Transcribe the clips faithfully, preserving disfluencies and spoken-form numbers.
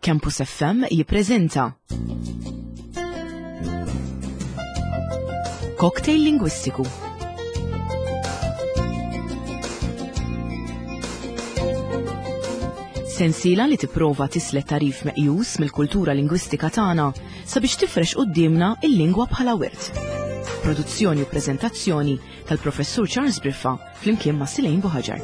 Campus F M jippreżenta Cocktail Lingwistiku. Sensiela li tipprova tislet tarif meqjus mill-kultura lingwistika tagħna sabiex tifrex quddiemna il-lingwa bħala wirt. Produzzjoni u preżentazzjoni tal-Professur Charles Briffa flimkien ma' Silejn Buħaġar.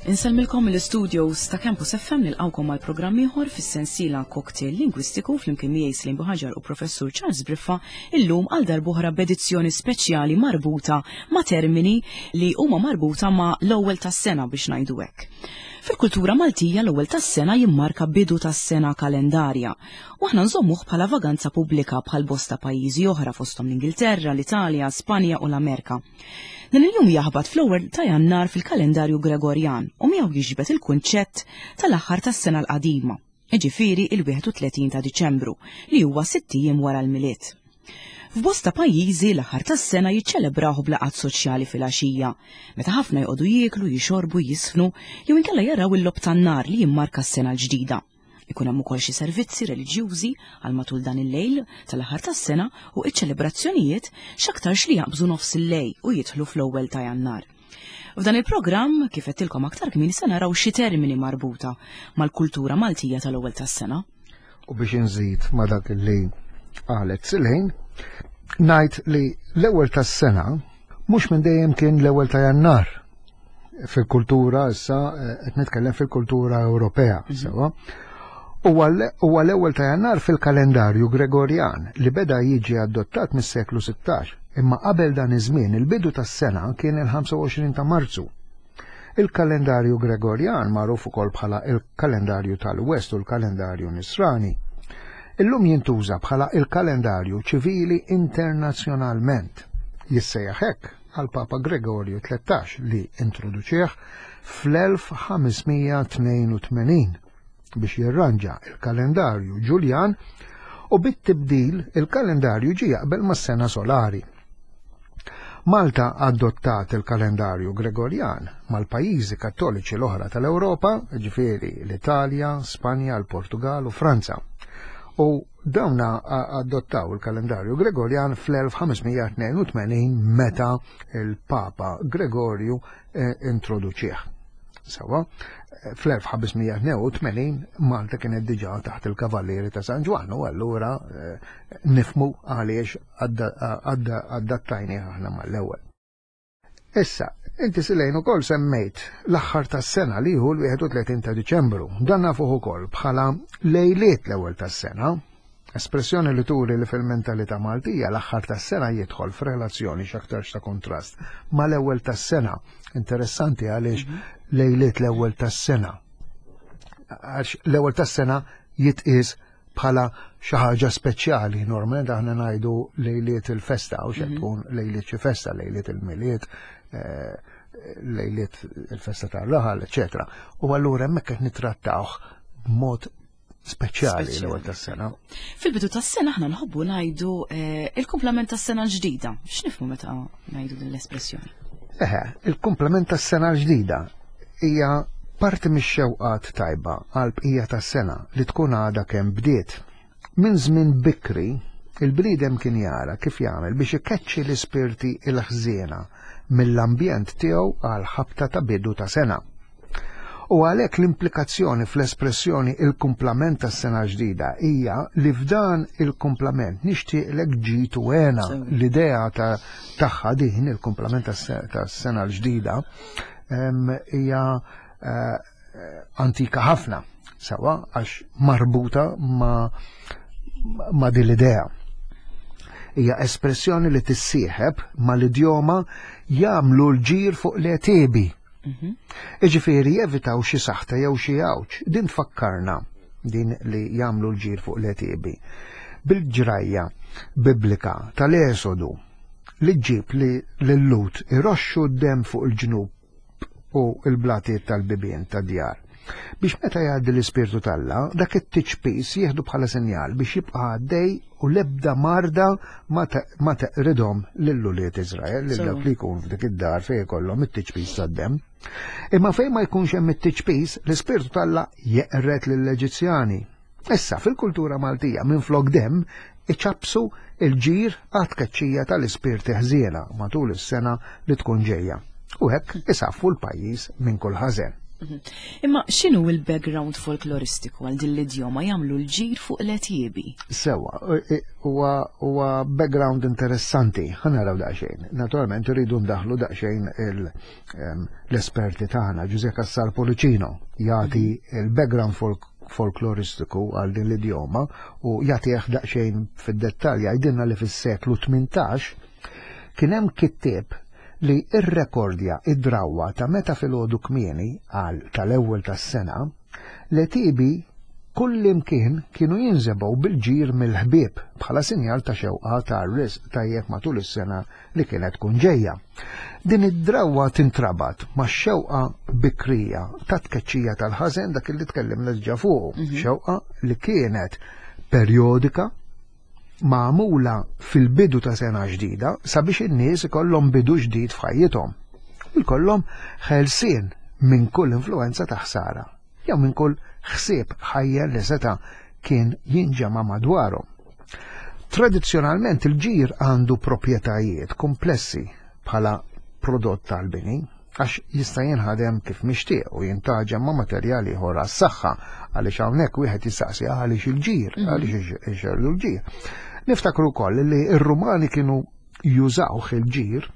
Insellmilkom mill-studios ta' Campus F M nilqawkom għal programm ieħor fis-sensiela Cocktail Lingwistiku flimkien miegħi Silejn Buħaġar u Professur Charles Briffa illum għal darb'oħra b'edizzjoni speċjali marbuta ma' termini li huma marbuta ma' l-ewwel tas-sena biex ngħidu hekk. Fil-kultura Maltija l-ewwel tas-sena jimmarka bidu tas-sena kalendarja u aħna nżommuh bħala vaganza pubblika bħal bosta pajjiżi oħra fosthom l-Ingilterra, l-Italja, Spanja u l-Amerika. Dan il-jum jaħbat fl-ewwel ta' Jannar fil-kalendarju Gregorjan u miegħu jiġbed il-kunċett tal-aħħar tas-sena l-qadima, jiġifieri il-wieħed u tletin ta' Diċembru, li huwa sitt ijiem wara l-Milied. F'bosta pajjiżi l-aħħar tas-sena jiċċelebrawh b'laqgħat soċjali fil-għaxija, meta ħafna joqogħdu jieklu, jixorbu, jisfnu jew inkella jaraw il-logħob tan-nar li jimmarka s-sena l-ġdida. Ikun hemm ukoll xi servizzi reliġjużi għal matul dan il-lejl tal-aħħar tas-sena u ċ-ċelebrazzjonijiet x'aktarx li jaqbżu nofs il-lejl u jidħlu fl-ewwel ta' Jannar. F'dan il-programm, kif għedtilkom aktar kmieni, se naraw xi termini marbuta mal-kultura Maltija tal-ewwel tas-sena. U biex inżid ma' dak li qalet Silejn, ngħid li l-ewwel tas-sena mhux minn dejjem kien l-ewwel ta' Jannar. Fil-kultura issa, eh, qed nitkellem fil-kultura Ewropea, Mhm. sewa. Huwa l-, huwa l-ewwel ta' Jannar fil-kalendarju Gregorjan li beda jiġi adottat mis-seklu sittax, imma qabel dan iż-żmien il-bidu tas-sena kien il-ħamsa u għoxrin ta' Marzu. Il-kalendarju Gregorjan magħruf ukoll bħala il-kalendarju tal-West u l-kalendarju Nisrani. Illum jintuża bħala il-kalendarju ċivili internazzjonalment. Jissejjaħ hekk għal Papa Gregorju tlettax li introduċih fl-elf ħamesmija tnejn u tmenin biex jirranġa il-kalendarju Ġuljan u bit-tibdil il-kalendarju ġie jaqbel mas-sena solari. Malta adottat il-kalendarju Gregorjan mal-pajjiżi kattoliċi l-oħra tal-Ewropa, ġifieri l-Italja, Spanja, l-Portugal u Franza. U dawna a-, adottaw il-kalendarju Gregorjan fl-elf ħamesmija tnejn u tmenin meta il-Papa Gregorju, eh, introduċih. Sewa, fl-elf ħamesmija tnejn u tmenin Malta kienet diġà taħt il-Kavallieri ta' San Ġwann u allura, eh, nifmu għaliex adda-, adda-, adattajni aħna mal-ewwel. Issa, inti Silejn ukoll semmejt l-aħħar tas-sena li hu l-wieħed u tletin ta' Diċembru. Dan nafuh ukoll bħala lejliet l-ewwel tas-sena, espressjoni li turi li fil-mentalità Maltija l-aħħar tas-sena jidħol f'relazzjoni x'aktarx ta' kontrast mal-ewwel tas-sena. Interessanti għaliex Mhm. lejliet l-ewwel tas-sena. Għax l-ewwel tas-sena jitqies bħala xi ħaġa speċjali. Normalment aħna ngħidu lejliet il-festa u x'qed Mhm. tkun lejliet xi festa, lejliet il-Milied, eh, lejliet il-festa tar-raħal, eċetera. U allura hemmhekk qed nittrattawh b'mod speċjali Speċjali. l-ewwel tas-sena. Fil-bidu tas-sena aħna nħobbu ngħidu, eh, il-kumplament tas-sena l-ġdida. X'nifhmu meta ngħidu din l-espressjoni? Eħe, il-kumplament tas-sena l-ġdida hija parti mix-xewqat tajba għal bqija tas-sena li tkun għadha kemm bdiet. Minn żmien bikri, il-bniedem kien jara kif jagħmel biex ikeċċi l-ispirti l-ħżiena mill-ambjent tiegħu għal ħabta ta' bidu ta' sena. U għalhekk l-implikazzjoni fl-espressjoni il-kumplament tas-sena ġdida hija li f'dan il-kumplament nixtieqlek ġid u hena. Sewa. L-idea ta' tagħha din il-kumplament tas-se-, tas-sena l-ġdida, em, hija, eh, antika ħafna, sewa, għax marbuta ma', ma' din l-idea. Hija espressjoni li tissieħeb mal-idjoma jagħmlu l-ġir fuq l-għetiebi. Mhm. Iġifieri jevitaw xi saħta jew xi għawġ. Din tfakkarna din li jagħmlu l-ġir fuq l-għetiebi. Bil-ġrajja biblika tal-Esodu li ġġib li l-Lut iroxxu d-dem fuq il-ġnub u l-blatiet tal-bibien tad-djar. Biex meta jgħaddi l-Ispirtu t'Alla, dak it-tiċpis jieħdu bħala sinjal biex jibqa' għaddej u l-ebda marda ma teqridhom lil ulied Iżrael, lil dawk li jkun f'dik id-dar fejn ikollhom it-tiċpis tad-demm. Imma fejn ma jkunx hemm it-tiċpis, l-Ispirtu t'Alla jeqred lill-Eġizzjani. Issa fil-kultura Maltija minflok demm iċapsu il-ġir għat-tkeċċija tal-ispirti ħżiena matul is-sena li tkun ġejja. U hekk isaffu l-pajjiż minn kull ħażen. Imma x'inhu il-background folkloristiku għal din l-idjoma jagħmlu l-ġir fuq l-għetiebi? Sewa, huwa background interessanti, ħa naraw daqsxejn. Naturalment irridu ndaħlu daqsxejn l-esperti tagħna, Ġużè Cassar Pollicino jagħti il-background folk folkloristiku għal din l-idjoma u jagħtih daqsxejn fid-dettalj. Jgħidilna li fis-seklu tmintax kien hemm kittieb li irrekordja id-drawwa ta' meta filgħodu kmieni għal tal-ewwel tas-sena l-għetiebi kullimkien kienu jinżebgħu bil-ġir mill-ħbieb bħala sinjal ta' xewqa ta' risq tajjeb matul is-sena li kienet tkun ġejja. Din id-drawwa tintrabat ma' xewqa bikrija ta' tkeċċija tal-ħażen, dak li tkellimna diġà fuq, xewqa li kienet perjodika magħmula fil-bidu ta' sena ġdida sabiex in-nies ikollhom bidu ġdid f'ħajjithom u jkollhom ħelsien minn kull influenza ta' ħsara jew minn kull ħsieb ħajja li seta' kien jinġema' madwarhom. Tradizzjonalment il-ġir għandu proprjetajiet komplessi bħala prodott tal-bini għax jista' jinħadem kif mixtieq u jintaġem ma' materjali ieħor għas-saħħa, għaliex hawnhekk wieħed jistaqsi għaliex il-ġir, għaliex ixerdu l-ġir. Niftakru wkoll li r-Rumani kienu jużawh il-ġir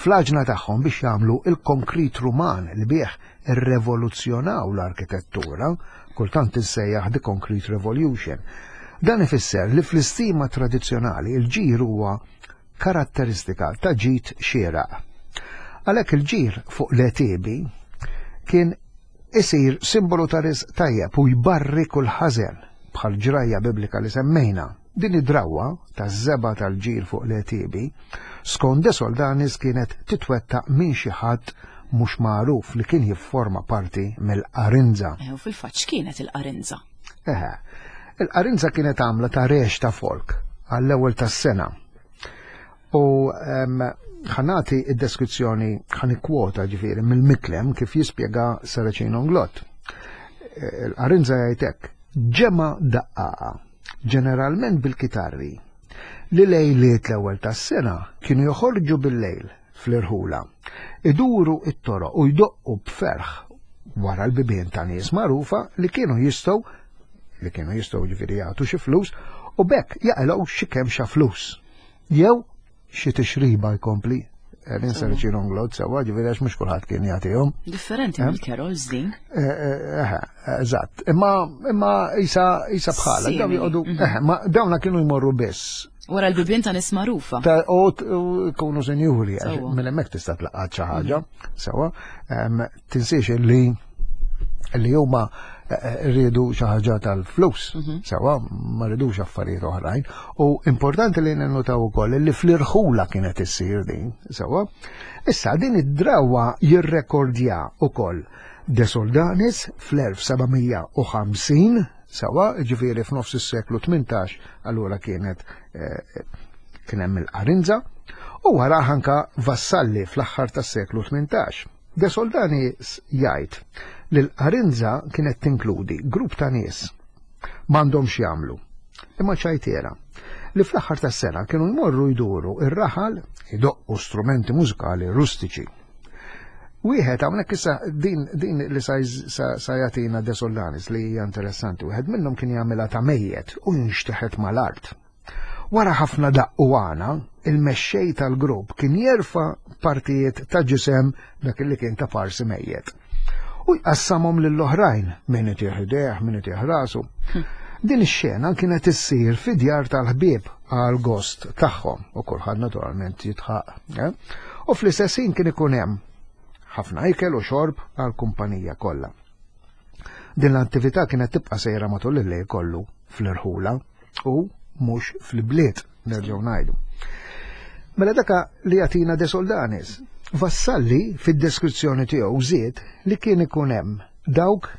fl-għaġna tagħhom biex jagħmlu il-konkrit Ruman li bih irrevoluzzjonaw l-arkitettura, kultant issejjaħ the Concrete Revolution. Dan ifisser li fl-istima tradizzjonali il-ġir huwa karatteristika ta' ġid xieraq. Għalhekk il-ġir fuq l-għetiebi kien isir simbolu ta' risq tajjeb u jbarri kull ħażen bħal ġrajja biblika li semmejna. Din id-drawwa taż-żebgħa tal-ġir fuq l-għetiebi skont De Soldanis kienet titwettaq minn xi ħadd mhux magħruf li kien jifforma parti mill-qarinza. U fil-fatt x'kienet il-qarinza? Eħe, il-qarinza kienet għamla ta' rex ta' folk għall-ewwel tas-sena. U ħanati id-deskrizzjoni, ħanikwota ġifieri mill-Miklem kif jispjega Saracino Nglott. Il-qarinza jgħidek ġemgħa daqqaqa, ġeneralment bil-kitarri, li lejliet l-ewwel tas-sena kienu joħorġu bil-lejl fl-irħula, iduru it-toroq u jdoqqu b'ferħ wara l-bibien ta' nies magħrufa li kienu jistgħu li kienu jistgħu ġifieri jagħtu xi flus u bekk jaqilgħu xi kemm xa flus. Jew xi tixriba jkompli. L-insar Nglott sewa, ġifieri għax mhux kulħadd kien jagħtihom. Differenti mill-carols din. Eżatt, imma imma isa isa bħala, dawn joqogħdu, ma dawna kienu jmorru biss. Wara l-bibien ta' nies magħrufa. U kunu senjuri, minn hemmhekk tista' tlaqgħat xi ħaġa, sewa. Tinsiex li li huma rridu xi ħaġa tal-flus, sewa, ma rridux affarijiet oħrajn. U importanti li ninnutaw ukoll li fl-irħula kienet issir din, sewa. Issa din id-drawwa jirrekordja ukoll De Soldanis fl-elf seba' mija u ħamsin, sewa, ġifieri f'nofs is-seklu tmintax, allura kienet kien hemm il-qarinza, u wara anka Vassalli fl-aħħar tas-seklu tmintax. De Soldanis jgħid li l-qarinza kienet tinkludi grupp ta' nies m'għandhomx jagħmlu, imma ċajtiera, li fl-aħħar tas-sena kienu jmorru jduru ir-raħal idoqqu strumenti mużikali rustiċi. Wieħed hawnhekk issa din, din li sa, sa, sa jagħtina De Soldanis li hija interessanti, wieħed minnhom kien jagħmilha ta' mejjet u jinxteħet mal-art. Wara ħafna daqq u għana, il-mexxej tal-grupp kien jerfa' partijiet ta' ġisem dak li kien ta' parsi mejjet. U jqassamhom lill-oħrajn, min itih idejh, min itih rasu. Din ix-xena kienet issir fi djar tal-ħbieb għal gost tagħhom u kulħadd naturalment jitħaq. Eh? U fl-istess ħin kien ikun hemm ħafna ikel u xorb għal kumpanija kollha. Din l-attività kienet tibqa' sejra matul il-lejl kollu fl-irħula u mhux fl-bliet, nerġgħu ngħidu. Mela daka li jagħtina De Soldanis. Vassalli fid-deskrizzjoni tiegħu żied li kien ikun hemm Dawk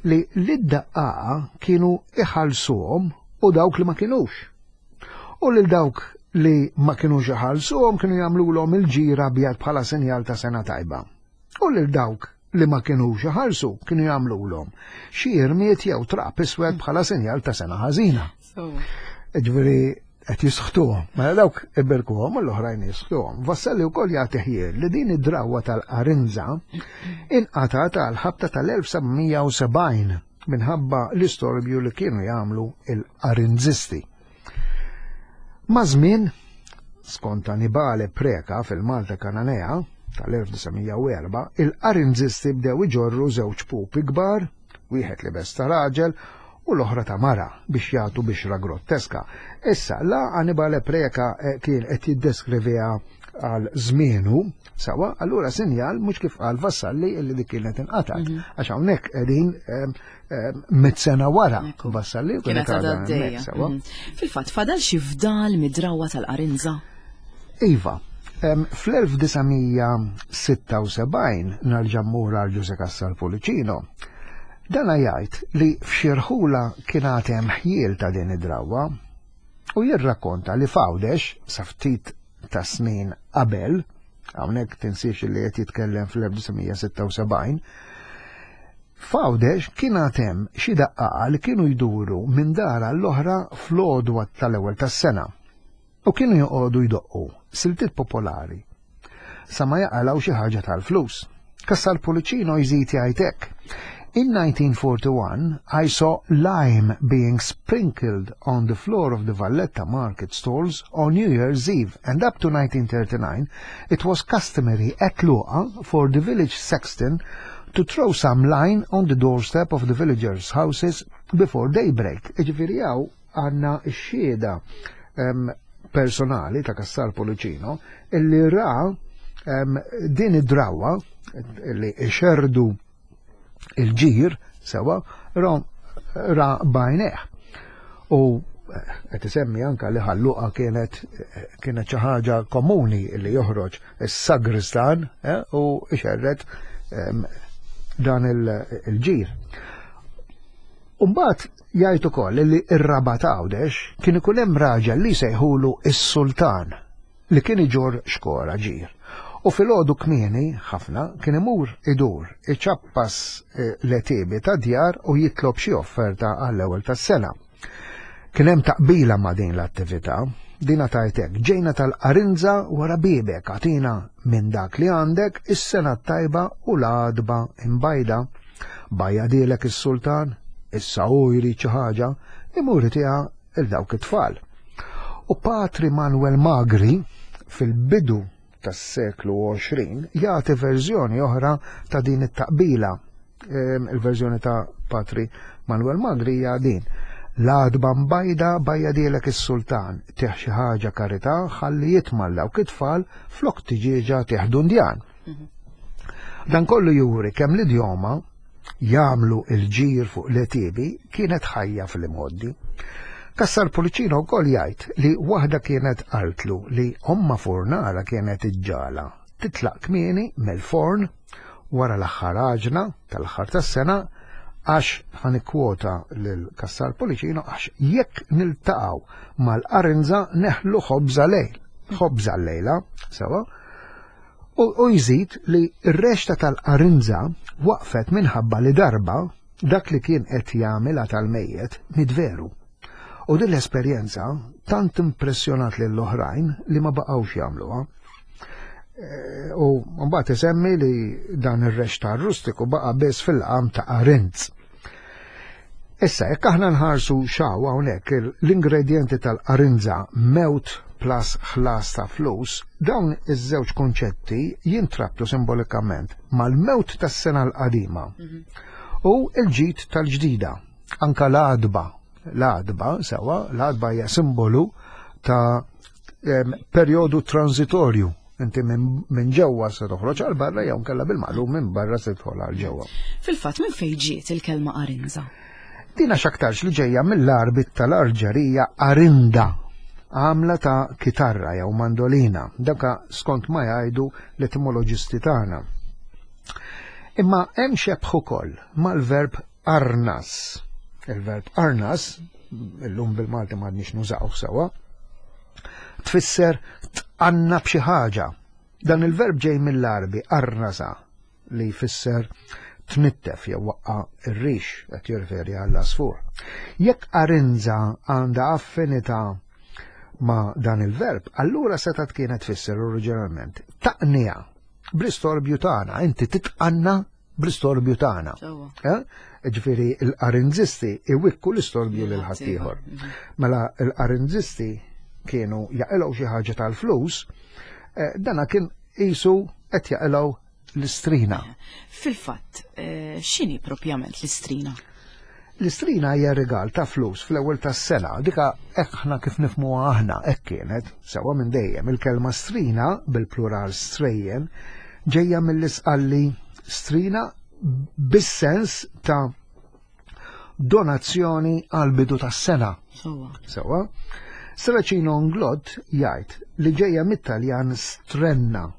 li lid-daqqaqa kienu iħallsuhom u dawk li ma kinux. U lil dawk li ma kinux iħallsuhom kienu jagħmluhom il-ġir abjad bħala sinjal ta' sena tajba. U lil dawk li ma kinux iħallsu kienu jagħmluhom xi irmiet jew trab iswed bħala sinjal ta' sena ħażina. Ġifieri qed jisħtuhom. Mela dawk iberkuhom u l-oħrajn jisħtuhom. Vassalli wkoll jagħti ħjiel li din id-drawwa tal-qarinża inqatgħet għal ħabta tal-elf seba' mija u sebgħin minħabba l-istorbju li kienu jagħmlu il-qarinżisti. Ma' żmien, skont Annibale Preka fil-Malta Kananea tal-elf disa' mija u erba', il-qarinżisti bdew iġorru żewġ pupi kbar, wieħed li bes ta' raġel u l-oħra ta' mara biex jagħtu bixra grotteska. Issa, la Annibale Preka, eh, kien qed jiddeskriviha għal żmienu, sawa, allura sinjal mhux kif qal Vassalli illi dik kienet inqatgħet. Mhm. Għax hawnhekk qegħdin, ehm, ehm, mitt sena wara Ekku. Vassalli u Kienet kienet għadha għadha għaddejja. hemmhekk, sawa. Mhm. Fil-fatt, fadal xi fdal mid-drawwa tal-qarinża? Iva. Em, fl-elf disa' mija sitta u sebgħin nerġa' mmur għal Ġuże Cassar Pullicino. Dana jgħid li f'xi rħula kien għad hemm ħjiel ta' din id-drawwa u jirrakkonta li f'Għawdex sa ftit ta' snin qabel, hawnhekk tinsiex li qed jitkellem fl-elf disa' mija sitta u sebgħin, f'Għawdex kien għad hemm xi daqqaqa li kienu jduru minn dar għall-oħra fl-għodwa tal-ewwel tas-sena u kienu joqogħdu jdoqqu siltiet popolari sa ma jaqalgħu xi ħaġa tal-flus. Cassar Pullicino jżid jgħid hekk. In nineteen forty-one, I saw lime being sprinkled on the floor of the Valletta market stalls on New Year's Eve, and up to nineteen thirty-nine, it was customary at Luqa for the village sexton to throw some lime on the doorstep of the villagers' houses before daybreak. Iġifieri hawn għandna x-xhieda, em, personali ta' Cassar Pullicino illi ra, em, din id-drawwa li xerdu il-ġir sewa ra, ra bajneħ. U qed isemmi anka li ħalluqa kienet, kienet xi ħaġa komuni li joħroġ is-sagristan, eh, u ixerred, em, dan il-, il-ġir. Umbagħad jgħid ukoll li r-Rabat Għawdex kien ikun hemm raġel li sejħulu is-sultan li kien iġorr xkora ġir. U filgħodu kmieni ħafna kien imur idur iċappas, eh, l-għetiebi ta' djar u jitlob xi offerta għall-ewwel tas-sena. Kien hemm taqbila ma' din l-attività, dina tajtek, ġejna tal-qarinża wara bibek, għatina minn dak li għandek is-sena tajba u l-għadba imbajda. Bajja dilek is-sultan, issa hu jrid xi ħaġa, imur itiha il dawk it-tfal. U Patri Manuel Magri fil-bidu tas-seklu għoxrin jagħti verżjoni oħra ta' din it-taqbila. Ehm, il-verżjoni ta' Patri Manuel Magri hija din. L-għadba mbajda bajja dilek is-sultan, tieħ xi ħaġa karità ħalli jitma' dawk it-tfal flok tiġieġa tieħ dundjan. Mhm. Dan kollu juri kemm l-idjoma jagħmlu il-ġir fuq l-għetiebi kienet ħajja fil-imgħoddi. Cassar Pullicino wkoll jgħid li waħda kienet qaltlu li omma furnara kienet iġġala titlaq kmieni mill-forn wara l-aħħar għaġna tal-aħħar tas-sena, għax ħanikwota lil Cassar Pullicino, għax jekk niltaqgħu mal-qarinża neħlu ħobża lejl, ħobża lejla, sewa. U, u jżid li r-rexta tal-qarinża waqfet minħabba li darba dak li kien qed jagħmilha tal-mejjet midveru. U din l-esperjenza tant impressjonat lil oħrajn li ma baqgħux jagħmluha. Eh, u mbagħad isemmi li dan ir-rexta rustiku baqa' biss fil-qam ta' Qarinz. Issa, jekk aħna nħarsu xaw hawnhekk il-, l-ingredjenti tal-qarinża mewt plus ħlas ta' flus, dawn iż-żewġ konċetti jintrabtu simbolikament mal-mewt tas-sena l-qadima Mhm. u l-ġid tal-ġdida, anka l-għadba. L-għadba, sewa, l-għadba hija simbolu ta', em, perjodu transitorju. Inti minn, minn ġewwa se toħroġ għal barra jew nkella bil-maqlub minn barra se tidħol għal ġewwa. Fil-fatt minn fejn ġiet il-kelma qarinża? Dina x'aktarx li ġejja mill-arbit tal-Arġerija arinda, għamla ta' kitarra jew mandolina, daka skont ma jgħidu l-etimoloġisti tagħna. Imma hemm xebħ ukoll mal-verb arnas. Il-verb arnas, illum bil-Malti m'għadniex nużaw sewwa, tfisser tqanna b'xi ħaġa. Dan il-verb ġej mill-Arbi arnasa li jfisser tnittef jew waqqa ir-rix qed jirreferi għall-asfur. Jekk arinza għandha affinità ma' dan il-verb, allura setgħet kienet tfisser oriġinalment taqnija bl-istorbju tagħna, inti titqanna bl-istorbju tagħna. Sewwa. Ġifieri l-arinzisti iwikku l-istorbju lil ħaddieħor. Mhm. Mela l-arinzisti kienu jaqilgħu xi ħaġa tal-flus, eh, dana kien qisu qed jaqilgħu l-istrina. Fil-fatt, eh, x'inhi propjament l-istrina? L-istrina hija rigal ta' flus fl-ewwel tas-sena, dika hekk aħna kif nifhmuha aħna hekk kienet, sewwa minn dejjem il-kelma strina bil-plural strejjen ġejja mill-isqalli strina bis-sens ta' donazzjoni għal bidu tas-sena. Sewwa. Sewwa. Serracino Inglott jgħid li ġejja mit-Taljan strenna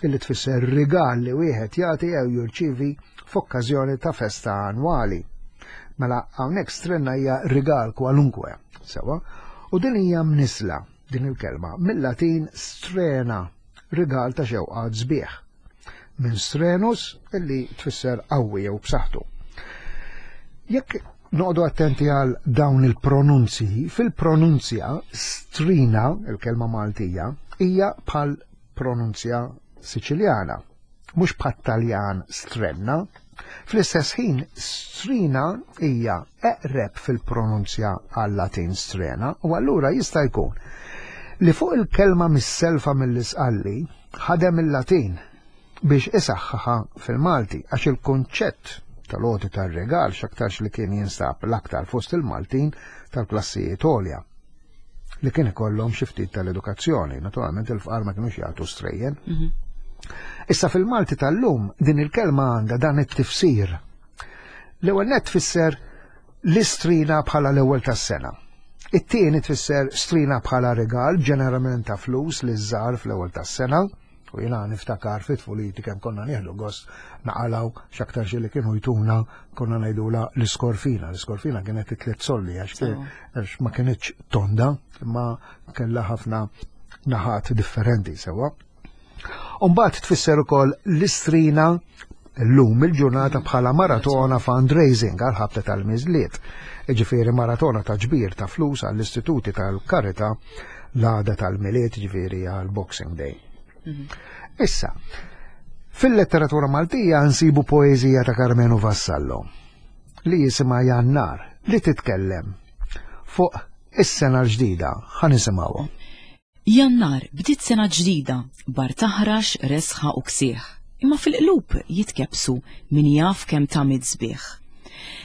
illi tfisser rigal li wieħed jagħti jew jirċievi f'okkażjoni ta' festa annwali. Mela hawnhekk strenna hija rigal kwalunkwe, sewwa, u din hija mnisla din il-kelma mill-Latin strena, rigal ta' xewqat sbieħ. Minn strenus illi tfisser qawwi jew b'saħħtu. Jekk noqogħdu attenti għal dawn il-pronunzji, fil-pronunzja strina, il-kelma Maltija, hija bħal pronunzja Siċiljana, mhux bħal Taljan strenna. Fl-istess ħin, strina hija eqreb fil-pronunzja għal Latin strena, u allura jista' jkun li fuq il-kelma mis-selfa mill-isqalli ħadem il-Latin biex isaħħaħa fil-Malti, għax il-konċett tal-għoti tar-regal x'aktarx li kien jinstab l-aktar fost il-Maltin tal-klassijiet għolja li kien ikollhom xi ftit tal-edukazzjoni, naturalment il-fqar ma kinux jagħtu strejjen. Mhm. Issa fil-Malti tal-lum din il-kelma għandha dan it-tifsir. L-ewwel nett tfisser l-istrina bħala l-ewwel tas-sena. It-tieni tfisser strina bħala regal, ġeneralment ta' flus li żżar fl-ewwel tas-sena, u jiena niftakar fit tfuliti kemm konna nieħdu gost naqalaw x'aktar xi li kienu jtuna konna ngħidula l-iskorfina. L-iskorfina kienet it-tliet solli għax Sewwa. għax ma kinitx tonda, imma kellha ħafna naħat differenti sewwa. Umbagħad tfisser ukoll l-istrina llum il-ġurnata bħala maratona fundraising għal ħabta tal-miżliet. Ġifieri maratona ta' ġbir ta' flus għall-istituti tal-karità l-għada tal-Milied, ġifieri għal Boxing Day. Issa, fil-letteratura Maltija nsibu poeżija ta' Karmenu Vassallo li jisimha Jannar li titkellem fuq is-sena l-ġdida. Ħa nisimgħuha. Jannar bdiet sena ġdida, bar taħrax, resħa u ksieħ. Imma fil-qlub jitkebsu min jaf kemm tamid sbieħ.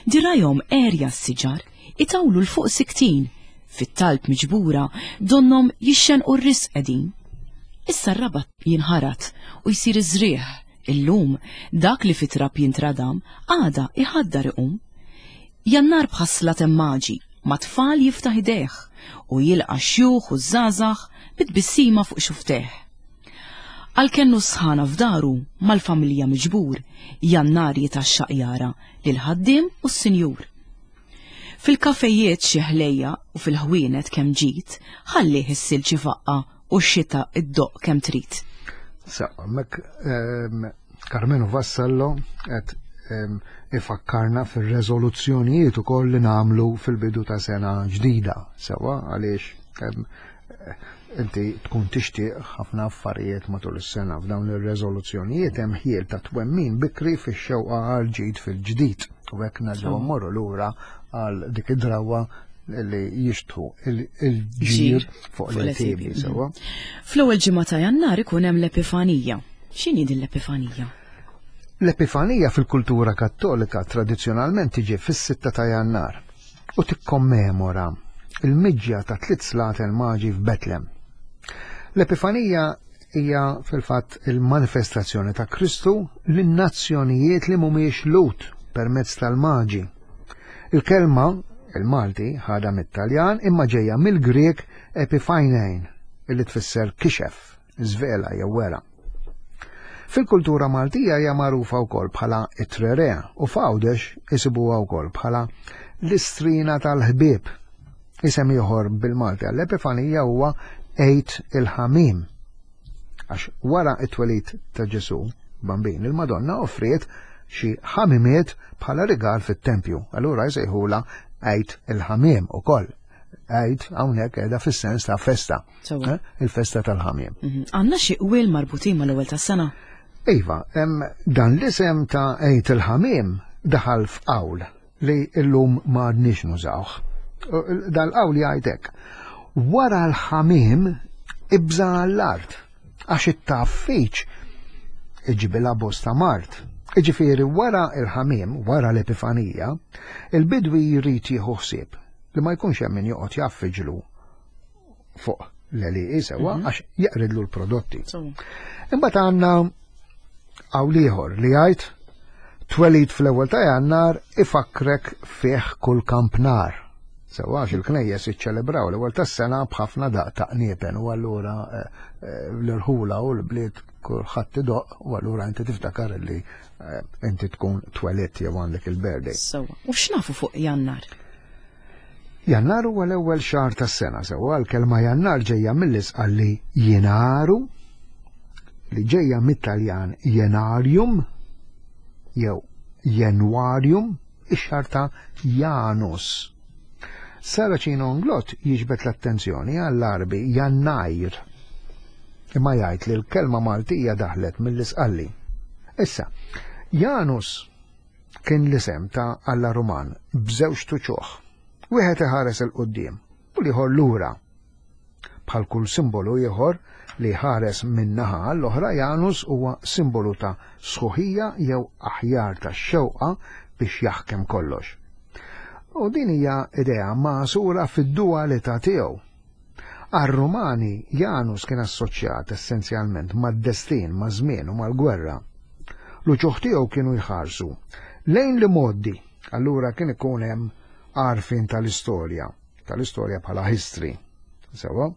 Dirajhom erja s-siġar, itawlu l-fuq siktin, fit-talb miġbura donnom jixxen u r-risq qegħdin. Issa r-rabat jinħarat u jsir iżrieħ, illum dak li fit-trab jintradam għada iħaddar iqum. Jannar bħasla temmaġi, ma tfal jiftaħ idejh u jilqa' xjuħ u żgħażagħ bit-tbissima fuq xufteh. Għalkennu sħana f'daru mal-familja miġbur, Jannar jitaxxaq jara lil ħaddiem u s-sinjur. Fil-kafejiet xi ħlejja u fil-ħwienet kemm ġid, ħallih is-silġ ifaqqa u x-xita iddoqq kemm trid. Sa, mek ehm, Karmenu Vassallo qed ehm, ifakkarna fir-reżoluzzjonijiet ukoll li nagħmlu fil-bidu ta' sena ġdida, sewwa għaliex ehm, inti tkun tixtieq ħafna affarijiet matul is-sena. F'dawn ir-reżoluzzjonijiet hemm ħjiel ta' twemmin bikri fix-xewqa għal ġid fil-ġdid. U hekk nerġgħu mmorru lura għal dik id-drawwa li jixtħu il-ġir fuq l-tibi, sewwa. Fl-ewwel ġimgħa ta' Jannar ikun hemm l-Epifanija. X'inhi din l-Epifanija? L-Epifanija fil-kultura Kattolika tradizzjonalment tiġi fis-sitta ta' Jannar u tikkommemora il-miġja ta' tliet slaten maġi f'Betlem. L-Epifanija hija fil-fatt il-manifestazzjoni ta' Kristu lin-nazzjonijiet li mhumiex Lhud permezz tal-maġi. Il-kelma il-Malti ħadha mit-Taljan imma ġejja mill-Grek epiphanein, illi tfisser kixef, żvela jew wera. Fil-kultura Maltija hija magħrufa wkoll bħala it-Tre Re u f'Għawdex isibuha wkoll bħala l-istrina tal-ħbieb. Isem ieħor bil-Malti għall-Epifanija huwa Għid il-Ħamiem. Għax wara it-twelid ta' Ġesu, bambin, il-Madonna offriet xi ħamimiet bħala rigal fit-tempju. Allura jsejħula Għid il-Ħamiem ukoll. Għid hawnhekk qiegħda fis-sens ta' festa. Sewwa. Eh? Il-festa tal-ħamiem. Mhm. Għandna xi qwiel marbutin mal-ewwel tas-sena? Iva, em, dan l-isem ta' Għid il-Ħamiem daħal f'qawl li illum ma għadniex nużawh. Dal-qawl jgħid hekk. Wara l-ħamiem ibża' għall-art, għax it-taffiċ iġibilha bosta mard. Iġifieri wara il-ħamiem, wara l-Epifanija, il-bidwi jrid jieħu ħsieb li ma jkunx hemm min joqgħod jaffiġlu fuq l-għelieqi sewwa għax jeqridlu l-prodotti. Sewwa. Imbagħad għandna qawl ieħor li jgħid twelid fl-ewwel ta' Jannar ifakkrek fih kull kampnar. Sewwa għax il-knejjes iċċelebraw l-ewwel tas-sena b'ħafna daq ta' qniepen u allura eh, eh, l-irħula u l-bliet kulħadd idoq u allura inti tiftakar li eh, inti tkun twelidt jew għandek il-birthday. Sewwa. U x'nafu fuq Jannar? Jannar huwa l-ewwel xahar tas-sena, sewwa l-kelma Jannar ġejja mill-Isqalli jenaru, li ġejja mit-Taljan jenarium jew januarium, ix-xahar ta' Janus. Saracino Inglott jiġbed l-attenzjoni għall-Għarbi Jannajr, imma jgħid li l-kelma Maltija daħlet mill-Isqalli. Issa, Janus kien l-isem ta' Alla Ruman b'żewġt uċuħ. Wieħed iħares 'il quddiem u l-ieħor lura. Bħal kull simbolu ieħor li ħares minn naħa għall-oħra, Janus huwa simbolu ta' sħuħija jew aħjar ta' xewqa biex jaħkem kollox. U din hija idea magħsura fid-dualità tiegħu. Għar-Rumani, Janus kien assoċjat essenzjalment mad-destin, ma' żmien u mal-gwerra. L-uċuħ tiegħu kienu jħarsu lejn l-imgħoddi, allura kien ikun hemm għarfien tal-istorja, tal-istorja bħala history, sewwa,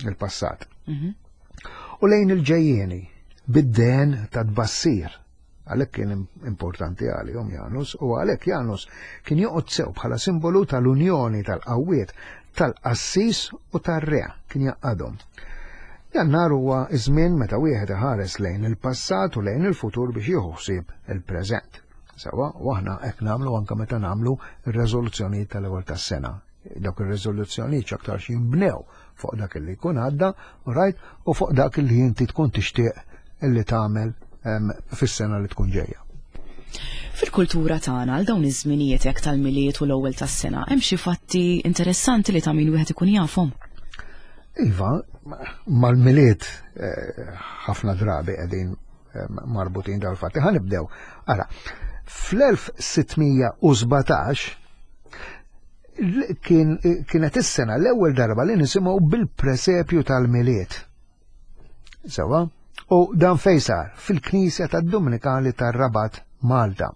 il-passat. Mhm. U lejn il-ġejjieni, bid-den ta' tbassir. Għalhekk kien importanti għalihom Janus, u għalhekk Janus kien joqgħod sew bħala simbolu tal-unjoni tal-qawwiet, tal-qassis u tar-re, kien jgħaqqadhom. Jannar huwa iż-żmien meta wieħed iħares lejn il-passat u lejn il-futur biex jieħu ħsieb il-preżent. Sewwa, u aħna hekk nagħmlu anke meta nagħmlu ir-reżoluzzjonijiet tal-ewwel tas-sena. Dawk ir-reżoluzzjonijiet x'aktarx jinbnew fuq dak li jkun għadda, right, u fuq dak li inti tkun tixtieq illi tagħmel em, fis-sena li tkun ġejja. Fil-kultura tagħna għal dawn iż-żminijiet hekk tal-Milied u l-ewwel tas-sena, hemm xi fatti interessanti li ta' min wieħed ikun jafhom. Iva, mal-Milied eh, ħafna drabi qegħdin eh, marbutin dal-fatti. Ħa nibdew. Ara, fl-elf sitt mija u sbatax l- kien, kienet is-sena l-ewwel darba li nisimgħu bil-presepju tal-Milied. Sewwa? U dan fejn sar? Fil-Knisja tad-Dominikali tar-Rabat, Malta.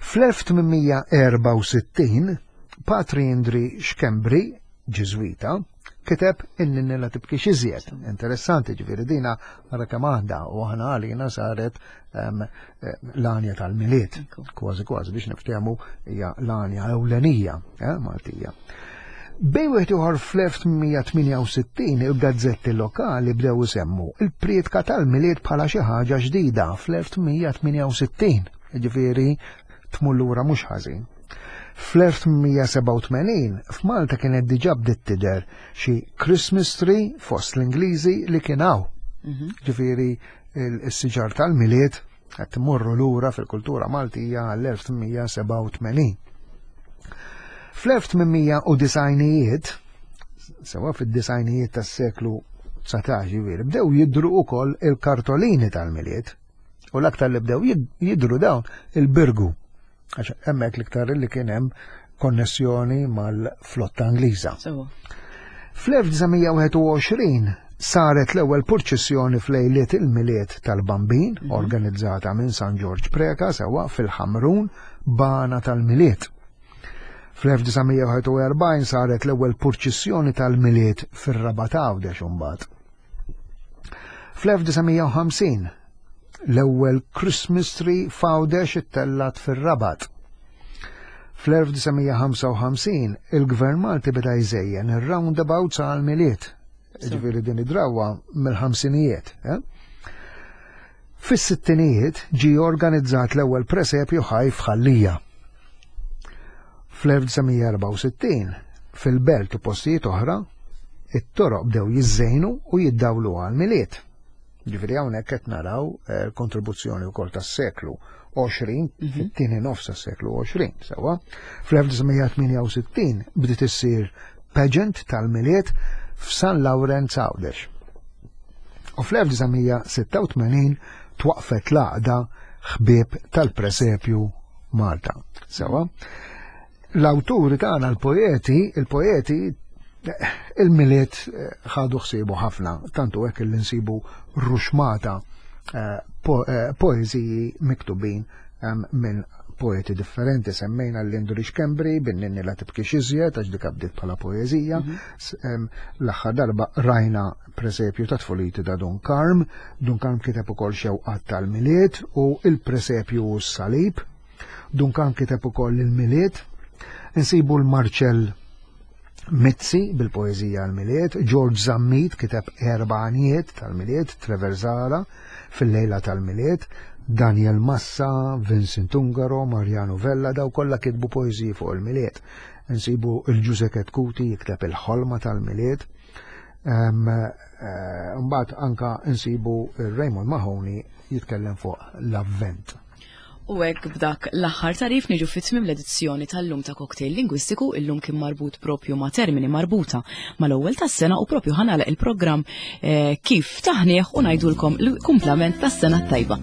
Fl-elf tmien mija erbgħa u sittin Patri Indri Xkembri, Ġiżwita, kiteb in-Ninni La Tibkix Iżjed. Interessanti, ġifieri dina ara kemm għandha u aħna għalina saret em, eh, l-għanja tal-Milied. Kważi kważi biex niftehmu hija l-għanja ewlenija eh, Maltija. Bejn wieħed ieħor fl-elf tmien mija tmienja u sittin il-gazzetti lokali bdew isemmu il-prietka tal-Milied bħala xi ħaġa ġdida fl-elf tmien mija tmienja u sittin. Ġifieri tmur lura mhux ħażin. Fl-elf tmien mija sebgħa u tmenin f'Malta kienet diġà bdiet tidher xi Christmas tree fost l-Ingliżi li kien hawn. Ġifieri il-siġar tal-Milied qed tmorru lura fil-kultura Maltija għall-elf tmien mija sebgħa u tmenin. Fl-elf tmien mija u disgħinijiet, sewwa fid-disgħinijiet tas-seklu dsatax ġifieri, bdew jidru ukoll il-kartolini tal-Milied. U l-aktar li bdew jid- jidru dawn il-Birgu. Għax hemmhekk l-iktar li kien hemm konnessjoni mal-flotta Ingliża. Sewwa. Fl-elf disa' mija wieħed u għoxrin saret l-ewwel purċissjoni f'lejliet il-Milied tal-Bambin, organizzata minn San Ġorġ Preka sewwa fil-Ħamrun b'għana tal-Milied. Fl-elf disa' mija wieħed u erbgħin saret l-ewwel purċissjoni tal-Milied fir-Rabat Għawdex imbagħad. Fl-elf disa' mija u ħamsin L-ewwel Christmas tree f'Għawdex ittellgħet fir-Rabat. Fl-elf disa' mija ħamsa u ħamsin il-Gvern Malti beda jżejjen ir-roundabouts għal-Milied. Ġifieri din id-drawa mill-ħamsinijiet. Eh? Fis-sittinijiet ġi organizzat l-ewwel presepju ħaj f'Ħal Lija. Fl-elf disa' mija erbgħa u sittin fil-belt u postijiet oħra it-toroq bdew jiżżejnu u jiddawlu għal-Milied. Ġifieri hawnhekk qed naraw eh, kontribuzzjoni wkoll tas-seklu għoxrin, fit-tieni nofs tas-seklu għoxrin, sewwa. Fl-elf disa' mija tmienja u sittin bdiet issir pageant tal-Milied f'San Lawrenz Għawdex. U fl-elf disa' mija sitta u tmenin twaqfet l-għaqda Ħbieb tal-Presepju Malta. Sewwa. L-awturi tagħna, l-poeti, il-poeti il-Milied eh, ħadu ħsiebu ħafna, tantu hekk li nsibu ruxmata eh, po, eh, poeżiji miktubin em, minn poeti differenti. Semmejna l-Indri Schembri, bin-Ninni La Tibkix Iżjed, għax dik bdiet bħala poeżija. S- em, L-aħħar darba rajna Presepju ta' Tfuliti ta' Dun Karm. Dun Karm kiteb ukoll Xewqat tal-Milied u Il-Presepju u s-Salib. Dun Karm kiteb ukoll il-Milied. Insibu l-Marcel Mizzi bil-poeżija għal-Milied, George Zammit kiteb erba' għanjiet tal-Milied, Trevor Zahra Fil-Lejla tal-Milied, Daniel Massa, Vincent Ungaro, Mariano Vella, daw kollha kitbu poeżiji fuq il-Milied. Nsibu il-Ġuże Chetcuti jikteb Il-Ħolma tal-Milied. Em, eh, Mbagħad anka nsibu il-Raymond Mahoney jitkellem fuq l-Avvent. U hekk b'dak l-aħħar tarif niġu fit-tmim l-edizzjoni tal-lum ta' Cocktail Lingwistiku. Illum kien marbut propju ma' termini marbuta mal-ewwel tas-sena u propju ħa nagħlaq il-programm eh, kif taħnieħ u ngħidulkom l-kumplament tas-sena tajba.